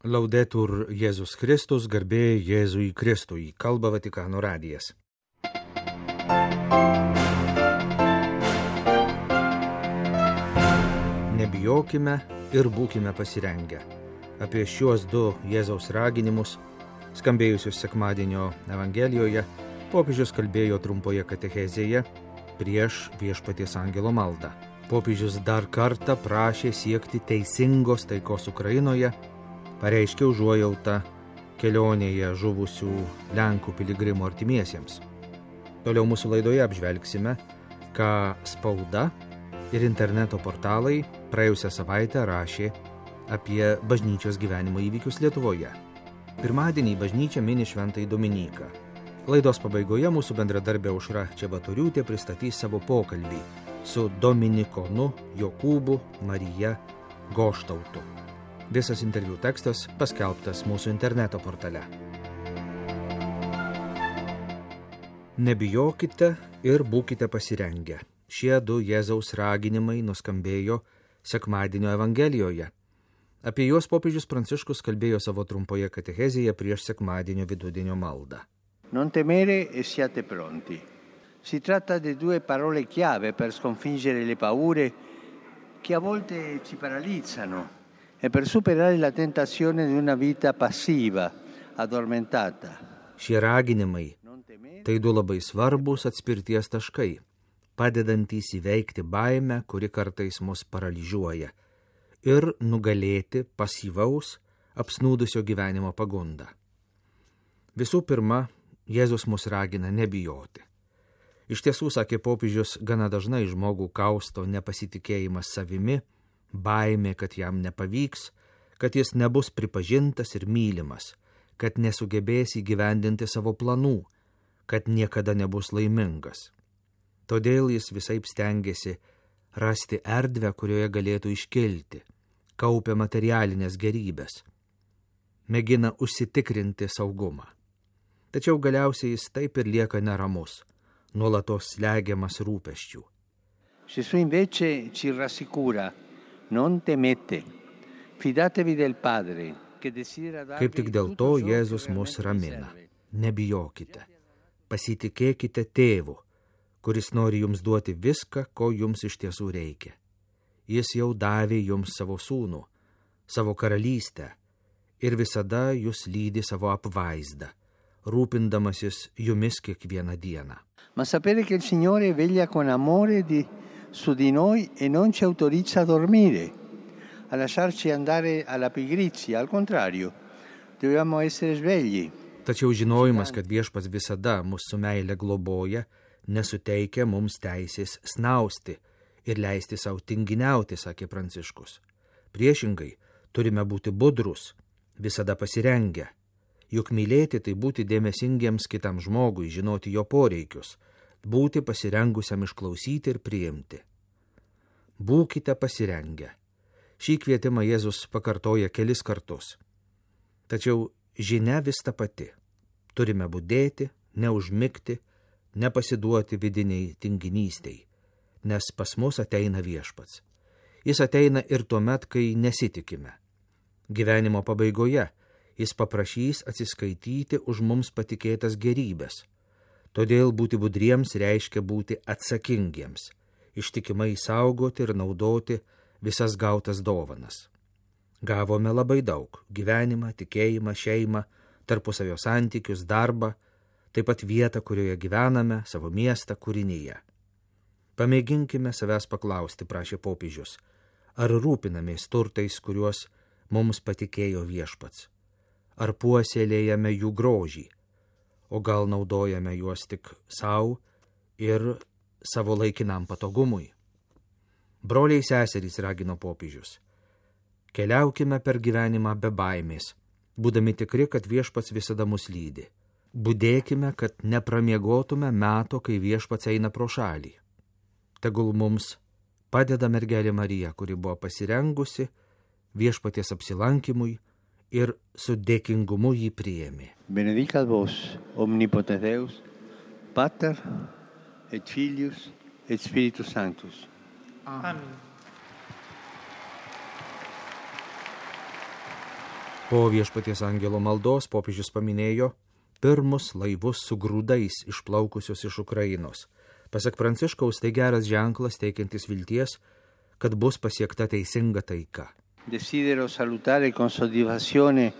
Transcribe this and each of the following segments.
Laudetur Jėzus Kristus, garbė Jėzui Kristui, kalba Vatikano radijas. Nebijokime ir būkime pasirengę. Apie šiuos du Jėzaus raginimus, skambėjusius sekmadienio Evangelijoje, popiežius kalbėjo trumpoje katechezėje prieš Viešpaties angelo maldą. Popiežius dar kartą prašė siekti teisingos taikos Ukrainoje, pareiškė užuojautą kelionėje žuvusių Lenkų piligrimų artimiesiems. Toliau mūsų laidoje apžvelgsime, ką spauda ir interneto portalai praėjusią savaitę rašė apie bažnyčios gyvenimo įvykius Lietuvoje. Pirmadienį bažnyčia mini Šventąjį Dominiką. Laidos pabaigoje mūsų bendradarbė Aušra Čebatoriūtė pristatys savo pokalbį su dominikonu Jokūbu Marija Goštautu. Visas interviu tekstas paskelbtas mūsų interneto portale. Nebijokite ir būkite pasirengę. Šie du Jėzaus raginimai nuskambėjo sekmadienio Evangelijoje. Apie juos popiežius Pranciškus kalbėjo savo trumpoje katechezėje prieš sekmadienio vidudienio maldą. Non temere e siate pronti. Si tratta di due parole chiave per sconfiggere le paure che a volte ci paralizzano e per superare la tentazione di una vita passiva, addormentata. Šie raginimai tai du labai svarbus atspirties taškai, padedantys įveikti baimę, kuri kartais mus paralyžiuoja, ir nugalėti pasyvaus, apsnūdusio gyvenimo pagundą. Visų pirma, Jėzus mus ragina nebijoti. Iš tiesų, sakė popiežius, gana dažnai žmogų kausto nepasitikėjimas savimi, baimė, kad jam nepavyks, kad jis nebus pripažintas ir mylimas, kad nesugebės įgyvendinti savo planų, kad niekada nebus laimingas. Todėl jis visaip stengiasi rasti erdvę, kurioje galėtų iškilti, kaupia materialinės gerybės, mėgina užsitikrinti saugumą. Tačiau galiausiai jis taip ir lieka neramus, nuolatos slegiamas rūpesčių. Gesù invece ci rassicura. Non temete, fidatevi del Padre, che desidera darvi. Kaip tik dėl to Jėzus mus ramina. Nebijokite, pasitikėkite Tėvu, kuris nori jums duoti viską, ko jums iš tiesų reikia. Jis jau davė jums savo sūnų, savo karalystę ir visada jūs lydi savo apvaizdą, rūpindamasis jumis kiekvieną dieną. Ma sapere che il Signore veglia con amore su di noi e non ci autorizza a dormire, a lasciarci andare alla pigrizia, al contrario, dobbiamo essere svegli. Tačiau žinojimas, kad Viešpats visada mus su meile globoja, nesuteikia mums teisės snausti ir leisti savo tinginiauti, sakė Pranciškus. Priešingai, turime būti budrus, visada pasirengę. Juk mylėti tai būti dėmesingiems kitam žmogui, žinoti jo poreikius, būti pasirengusiam išklausyti ir priimti. Būkite pasirengę. Šį kvietimą Jėzus pakartoja kelis kartus. Tačiau žinia vis ta pati. Turime budėti, neužmigti, nepasiduoti vidiniai tinginystiai, nes pas mus ateina Viešpats. Jis ateina ir tuomet, kai nesitikime. Gyvenimo pabaigoje jis paprašys atsiskaityti už mums patikėtas gerybės. Todėl būti budriems reiškia būti atsakingiems, ištikimai saugoti ir naudoti visas gautas dovanas. Gavome labai daug – gyvenimą, tikėjimą, šeimą, tarpusavio santykius, darbą, taip pat vietą, kurioje gyvename, savo miestą, kūrinyje. Pamėginkime savęs paklausti, prašė popiežius, ar rūpinamės turtais, kuriuos mums patikėjo Viešpats, ar puoselėjame jų grožį, o gal naudojame juos tik savo ir savo laikinam patogumui. Broliai seserys, ragino popiežius, keliaukime per gyvenimą be baimės, būdami tikri, kad Viešpats visada mus lydi. Budėkime, kad nepramiegotume meto, kai Viešpats eina pro šalį. Tegul mums padeda mergelė Marija, kuri buvo pasirengusi Viešpaties apsilankymui ir su dėkingumu jį priėmė. Benedicat vos, omnipotens Deus, Pater et Filius et Spiritus Sanctus. Amen. Po Viešpaties angelo maldos popiežius paminėjo pirmus laivus su grūdais išplaukusius iš Ukrainos. Pasak Pranciškaus, tai geras ženklas teikiantis vilties, kad bus pasiekta teisinga taika. Desidero salutare con soddisfazione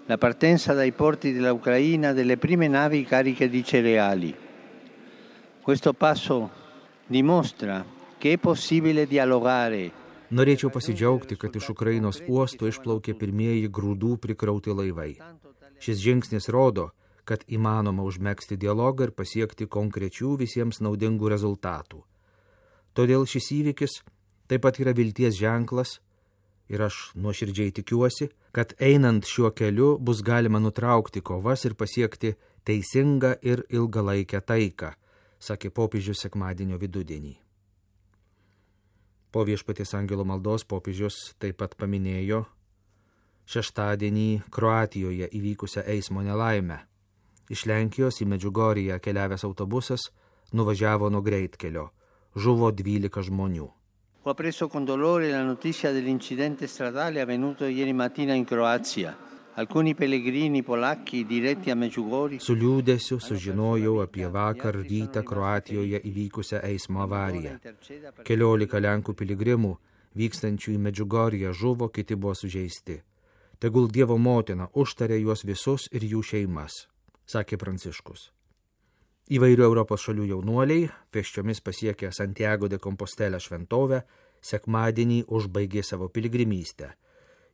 la partenza dai porti della Ucraina delle prime navi cariche di cereali. Questo passo dimostra che è possibile dialogare. Norėčiau pasidžiaugti, kad iš Ukrainos uostų išplaukė pirmieji grūdų prikrauti laivai. Šis žingsnis rodo, kad įmanoma užmegzti dialogą ir pasiekti konkrečių visiems naudingų rezultatų. Todėl šis įvykis taip pat yra vilties ženklas ir aš nuoširdžiai tikiuosi, kad einant šiuo keliu bus galima nutraukti kovas ir pasiekti teisingą ir ilgalaikę taiką, sakė popiežius sekmadienio vidudienį. Po Viešpaties angelo maldos popiežius taip pat paminėjo šeštadienį Kroatijoje įvykusią eismo nelaimę. Iš Lenkijos į Medžiugorję keliavęs autobusas nuvažiavo nuo greitkelio. Žuvo 12 žmonių. Ho appreso con dolore la notizia dell'incidente stradale avvenuto ieri mattina in Croazia. Alcuni pellegrini polacchi diretti a Medžiugorję. Su liūdesiu sužinojau apie vakar rytą Kroatijoje įvykusią eismo avariją. 14 Lenkų piligrimų vykstančių į Medžiugorję žuvo, kiti buvo sužeisti. Tegul Dievo motina užtarė juos visus ir jų šeimas, sakė Pranciškus. Įvairių Europos šalių jaunuoliai, pėsčiomis pasiekę Santiago de Compostela šventovę, sekmadienį užbaigė savo piligrimystę.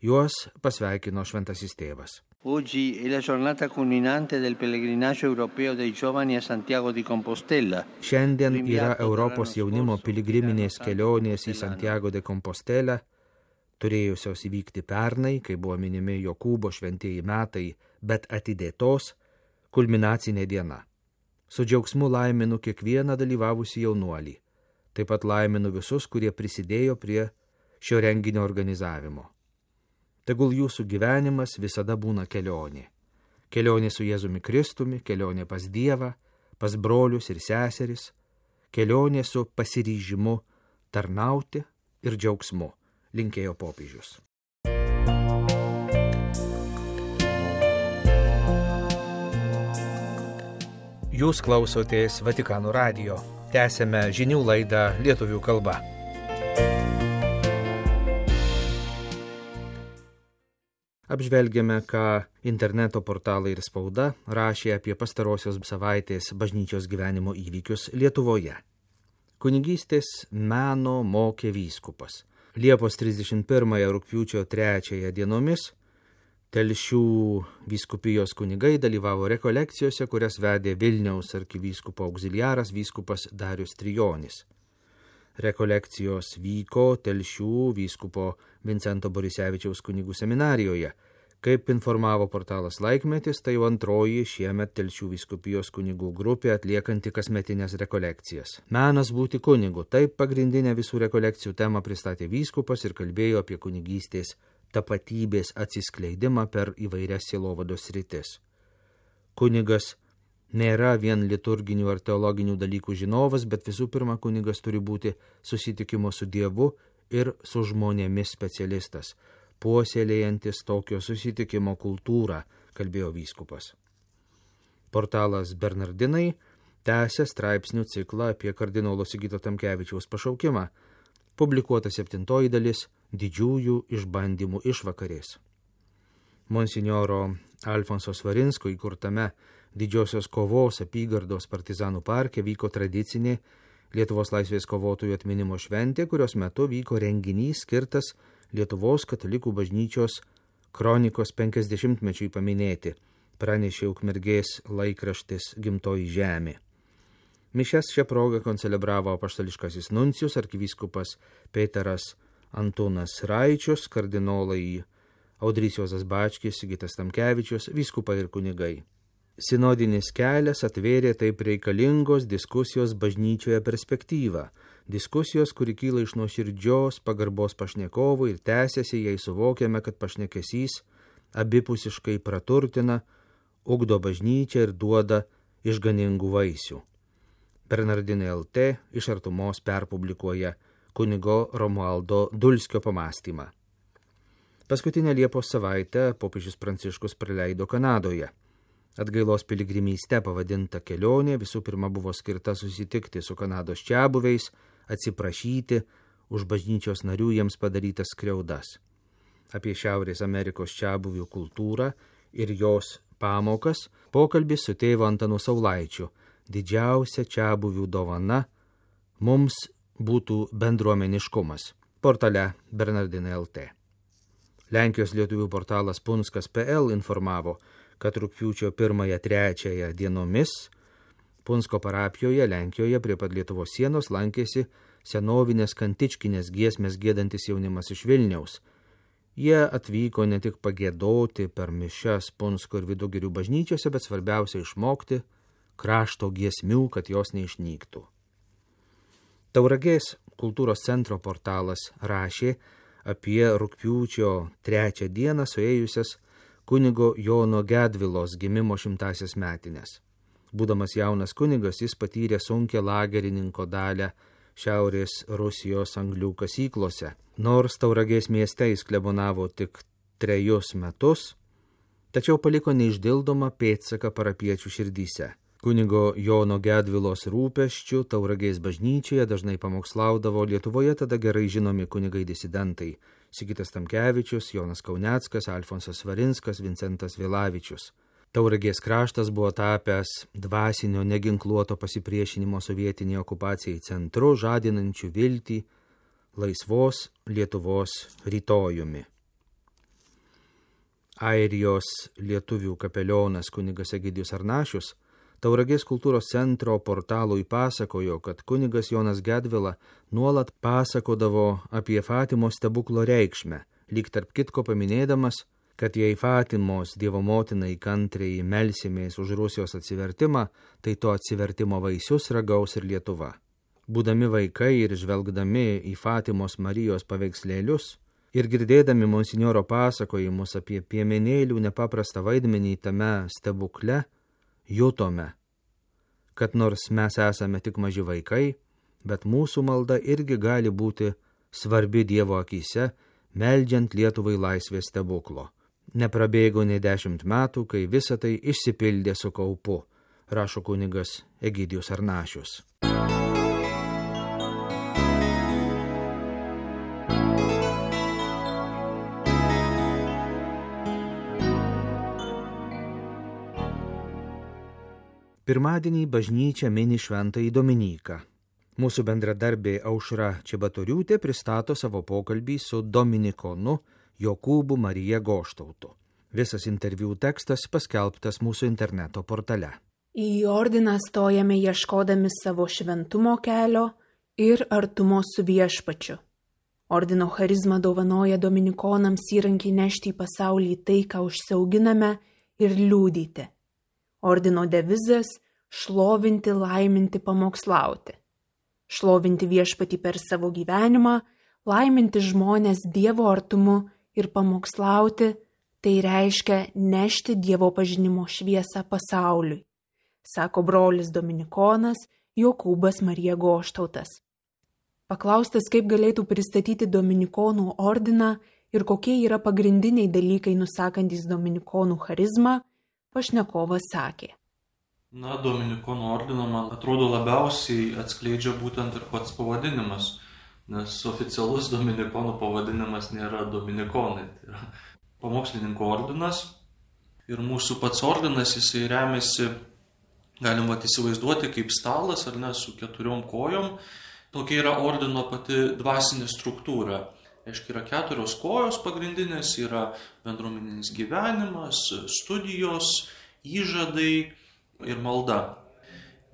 Juos pasveikino šventasis tėvas. Oggi è la giornata culminante del pellegrinaggio europeo dei giovani a Santiago di Compostela. Šiandien yra Europos jaunimo piligriminės kelionės į Santiago de Compostela, turėjusios įvykti pernai, kai buvo minimi Jokūbo šventieji metai, bet atidėtos kulminacinė diena. Su džiaugsmu laiminu kiekvieną dalyvavusį jaunuolį. Taip pat laiminu visus, kurie prisidėjo prie šio renginio organizavimo. Tegul jūsų gyvenimas visada būna kelionė. Kelionė su Jėzumi Kristumi, kelionė pas Dievą, pas brolius ir seseris, kelionė su pasiryžimu tarnauti ir džiaugsmu, linkėjo popiežius. Jūs klausotės Vatikano radijo. Tęsėme žinių laidą lietuvių kalba. Apžvelgėme, ką interneto portalai ir spauda rašė apie pastarosios savaitės bažnyčios gyvenimo įvykius Lietuvoje. Kunigystės meno mokė vyskupas. Liepos 31 rugpjūčio 3 dienomis Telšių vyskupijos kunigai dalyvavo rekolekcijose, kurias vedė Vilniaus arkivyskupo auxiliaras vyskupas Darius Trijonis. Rekolekcijos vyko Telšių vyskupo Vincento Borisevičiaus kunigų seminarijoje. Kaip informavo portalas Laikmetis, tai jau antroji šiemet Telšių vyskupijos kunigų grupė atliekanti kasmetinės rekolekcijas. Menas būti kunigu. Taip pagrindinę visų rekolekcijų temą pristatė vyskupas ir kalbėjo apie kunigystės tapatybės atsiskleidimą per įvairias sielovados sritis. Kunigas nėra vien liturginių ar teologinių dalykų žinovas, bet visų pirma kunigas turi būti susitikimo su Dievu ir su žmonėmis specialistas, puoselėjantis tokio susitikimo kultūrą, kalbėjo vyskupas. Portalas Bernardinai tęsia straipsnių ciklą apie kardinolo Sigito Tamkevičiaus pašaukimą, publikuota 7 dalis didžiųjų išbandymų išvakarės. Monsinjoro Alfonso Svarinsko įkurtame Didžiosios kovos apygardos partizanų parke vyko tradicinė Lietuvos laisvės kovotojų atminimo šventė, kurios metu vyko renginys skirtas Lietuvos katalikų bažnyčios kronikos 50-mečiui paminėti, pranešė Ukmergės laikraštis Gimtoji žemė. Mišias šią progą koncelebravo apaštališkasis nuncijus arkivyskupas Peteras Antunas Raičius, kardinolai Audrys Juozas Bačkis, Sigitas Tamkevičius, vyskupai ir kunigai. Sinodinis kelias atvėrė taip reikalingos diskusijos bažnyčioje perspektyvą. Diskusijos, kuri kyla iš nuoširdžios pagarbos pašnekovų ir tęsiasi, jei suvokiame, kad pašnekesys abipusiškai praturtina, ugdo bažnyčią ir duoda išganingų vaisių. Bernardinai LT iš Artumos perpublikuoja kunigo Romualdo Dulskio pamąstymą. Paskutinę Liepos savaitę popiežius Pranciškus praleido Kanadoje. Atgailos piligrimyste pavadinta kelionė visų pirma buvo skirta susitikti su Kanados čiabuviais, atsiprašyti už bažnyčios narių jiems padarytas skriaudas. Apie Šiaurės Amerikos čiabuvių kultūrą ir jos pamokas pokalbis su tėvu Antanu Saulaičiu. Didžiausia čiabuvių dovana mums būtų bendruomeniškumas. Portale Bernardinai LT. Lenkijos lietuvių portalas Punskas.pl informavo, kad rugpjūčio 1-3 dienomis Punsko parapijoje Lenkijoje prie pat Lietuvos sienos lankėsi senovinės kantičkinės giesmės giedantis jaunimas iš Vilniaus. Jie atvyko ne tik pagėdoti per mišias Punsko ir Vidugirių bažnyčiose, bet svarbiausia išmokti krašto giesmių, kad jos neišnyktų. Tauragės kultūros centro portalas rašė apie rugpjūčio 3 dieną suėjusias kunigo Jono Gedvilos gimimo 100-asias metines. Būdamas jaunas kunigas, jis patyrė sunkią lagerininko dalią Šiaurės Rusijos anglių kasyklose. Nors Tauragės mieste jis klebonavo tik 3 metus, tačiau paliko neišdildomą pėdsaką parapiečių širdyse. Kunigo Jono Gedvilos rūpesčių Tauragės bažnyčioje dažnai pamokslaudavo Lietuvoje tada gerai žinomi kunigai disidentai Sigitas Tamkevičius, Jonas Kauneckas, Alfonsas Svarinskas, Vincentas Vilavičius. Tauragės kraštas buvo tapęs dvasinio neginkluoto pasipriešinimo sovietiniai okupacijai centru, žadinančių viltį laisvos Lietuvos rytojumi. Airijos lietuvių kapelionas kunigas Egidijus Arnašius Tauragės kultūros centro portalui pasakojo, kad kunigas Jonas Gedvila nuolat pasakodavo apie Fatimos stebuklo reikšmę, lyg tarp kitko paminėdamas, kad jei Fatimos Dievo motinai kantriai melsimės už Rusijos atsivertimą, tai to atsivertimo vaisius ragaus ir Lietuva. Būdami vaikai ir žvelgdami į Fatimos Marijos paveikslėlius ir girdėdami monsinjoro pasakojimus apie piemenėlių nepaprastą vaidmenį tame stebukle, jutome, kad nors mes esame tik maži vaikai, bet mūsų malda irgi gali būti svarbi Dievo akyse, meldžiant Lietuvai laisvės stebuklo. Neprabėgo nei 10 metų, kai visa tai išsipildė su kaupu, rašo kunigas Egidijus Arnašius. Pirmadienį bažnyčia mini šventąjį Dominiką. Mūsų bendradarbė Aušra Čibatoriūtė pristato savo pokalbį su dominikonu Jokūbu Marija Goštautu. Visas interviu tekstas paskelbtas mūsų interneto portale. Į ordiną stojame ieškodami savo šventumo kelio ir artumo su viešpačiu. Ordino charizma dovanoja dominikonams įrankį nešti į pasaulį tai, ką užsiauginame, ir liūdyti. Ordino devizas – šlovinti, laiminti, pamokslauti. Šlovinti viešpatį per savo gyvenimą, laiminti žmonės Dievo artumu ir pamokslauti – tai reiškia nešti Dievo pažinimo šviesą pasauliui, sako brolis dominikonas Jokūbas Marija Goštautas. Paklaustas, kaip galėtų pristatyti dominikonų ordiną ir kokie yra pagrindiniai dalykai nusakantys dominikonų charizmą, pašnekovas sakė. Dominikonų ordiną man atrodo labiausiai atskleidžia būtent ir pats pavadinimas, nes oficialus dominikonų pavadinimas nėra dominikonai, tai yra pamokslininkų ordinas. Ir mūsų pats ordinas, jisai remiasi, galim įsivaizduoti kaip stalas, ar ne, su 4 kojom. Tokia yra ordino pati dvasinė struktūra. Aiškiai, yra 4 kojos pagrindinės, yra bendruomeninis gyvenimas, studijos, įžadai ir malda.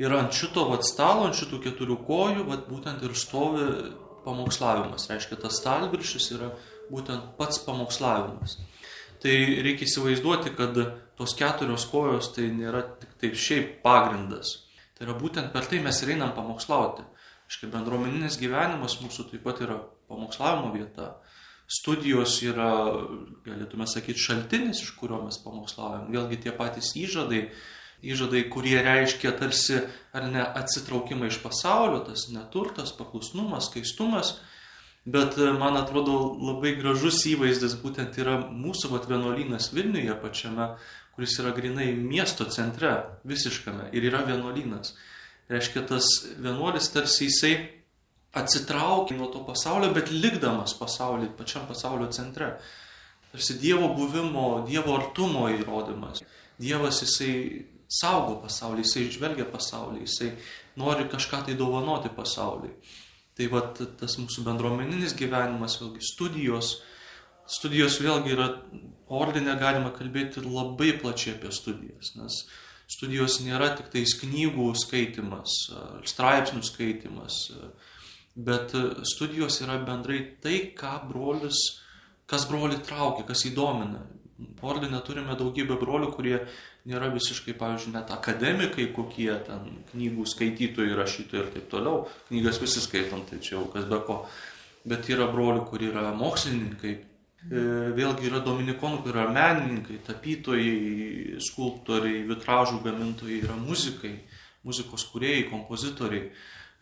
Ir ant šito stalo, ant šitų 4 kojų, būtent ir stovi pamokslavimas. Reiškia, tas stalviršis yra būtent pats pamokslavimas. Tai reikia įsivaizduoti, kad tos 4 kojos tai nėra tik taip šiaip pagrindas. Tai yra būtent per tai mes ir einam pamokslauti. Aiškiai, bendruomeninis gyvenimas mūsų taip pat yra pamokslavimo vieta. Studijos yra, galėtume sakyti, šaltinis, iš kurio mes pamokslaujam. Vėlgi tie patys įžadai, kurie reiškia tarsi ar ne atsitraukimą iš pasaulio, tas neturtas, paklusnumas, skaistumas. Bet man atrodo labai gražus įvaizdis būtent yra mūsų vienuolynas Vilniuje pačiame, kuris yra grinai miesto centre, visiškame, ir yra vienuolynas. Reiškia, tas vienuolis tarsi jisai atsitraukia nuo to pasaulio, bet likdamas pasaulį, pačiam pasaulio centre. Tarsi Dievo buvimo, Dievo artumo įrodymas. Dievas jisai saugo pasaulį, jisai žvelgia pasaulį, jisai nori kažką tai dovanoti pasauliui. Tai va tas mūsų bendruomeninis gyvenimas, vėlgi studijos vėlgi yra, ordine galima kalbėti labai plačiai apie studijas, nes studijos nėra tik tais knygų skaitimas, straipsnių skaitimas, bet studijos yra bendrai tai, kas brolį traukia, kas įdomina. Ordine turime daugybę brolių, kurie nėra visiškai, pavyzdžiui, net akademikai, kokie ten knygų skaitytojai, rašytojai ir taip toliau. Knygas visi skaitom, tai čia jau kas be ko. Bet yra brolių, kurie yra mokslininkai. Vėlgi yra dominikonų, kurie yra menininkai, tapytojai, skulptoriai, vitražų gamintojai, yra muzikai, muzikos kūrėjai, kompozitoriai.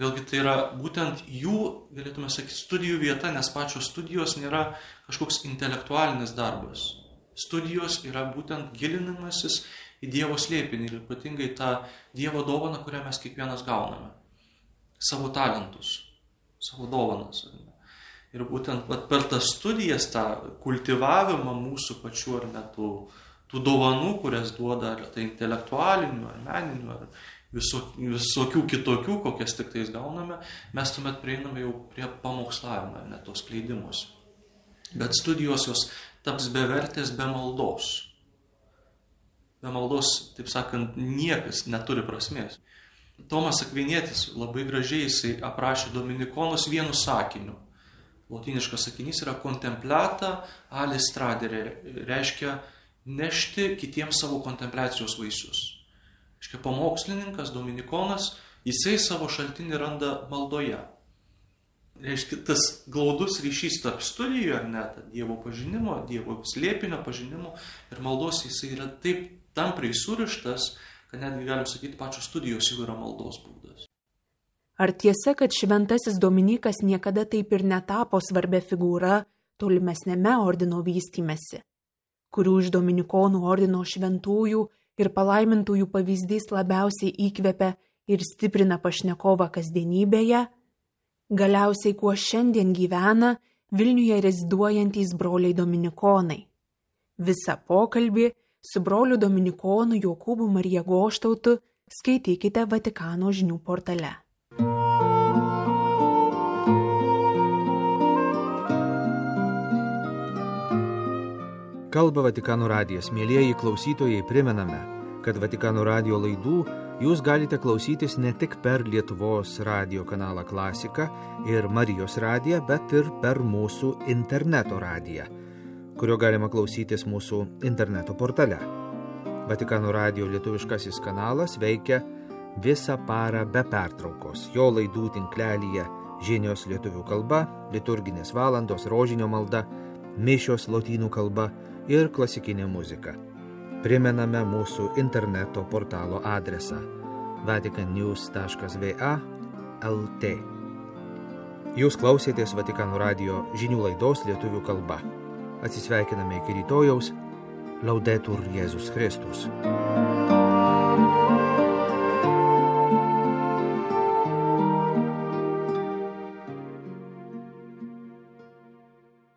Vėlgi tai yra būtent jų, galėtume sakyti, studijų vieta, nes pačios studijos nėra kažkoks intelektualinis darbas. Studijos yra būtent gilinimasis į Dievo slėpinį ir ypatingai tą Dievo dovaną, kurią mes kiekvienas gauname. Savo talentus, savo dovanas. Ir būtent per tas studijas, tą kultivavimą mūsų pačių ar net tų dovanų, kurias duoda ar tai intelektualinių, ar meninių, ar visokių kitokių, kokias tik tais gauname, mes tuomet prieiname jau prie pamokslavimo, net tos skleidimus. Bet studijos jos taps bevertės be maldos. Be maldos, taip sakant, niekas neturi prasmės. Tomas Akvinietis labai gražiai jisai aprašė dominikonus vienu sakiniu. Lotyniškas sakinys yra contemplata alis tradere, reiškia nešti kitiems savo kontempliacijos vaisius. Reiškia, pamokslininkas, dominikonas, jisai savo šaltinį randa maldoje. Reiškia, tas glaudus ryšys tarp studijų, ar net Dievo pažinimo, Dievo slėpinio pažinimo ir maldos, jisai yra taip tampriai surištas, kad netgi galim sakyti, pačios studijos jau yra maldos būdas. Ar tiesa, kad šventasis Dominikas niekada taip ir netapo svarbia figūra tolimesnėme ordino vystymesi, kurių iš dominikonų ordino šventųjų ir palaimintųjų pavyzdys labiausiai įkvepia ir stiprina pašnekovą kasdienybėje? Galiausiai, kuo šiandien gyvena Vilniuje reziduojantys broliai dominikonai. Visą pokalbį su broliu dominikonu Jokūbu Marija Goštautu skaitykite Vatikano žinių portale. Kalba Vatikano radijas. Mielieji klausytojai, primename, kad Vatikano radijo laidų jūs galite klausytis ne tik per Lietuvos radijo kanalą Klasika ir Marijos radiją, bet ir per mūsų interneto radiją, kurio galima klausytis mūsų interneto portale. Vatikano radijo lietuviškasis kanalas veikia visą parą be pertraukos. Jo laidų tinklelyje žinios lietuvių kalba, liturginės valandos, rožinio malda, mišios lotynų kalba ir klasikinė muzika. Primename mūsų interneto portalo adresą vaticannews.va/lt. Jūs klausėtės Vatikano radijo žinių laidos lietuvių kalba. Atsisveikiname iki rytojaus. Laudetur Jėzus Kristus.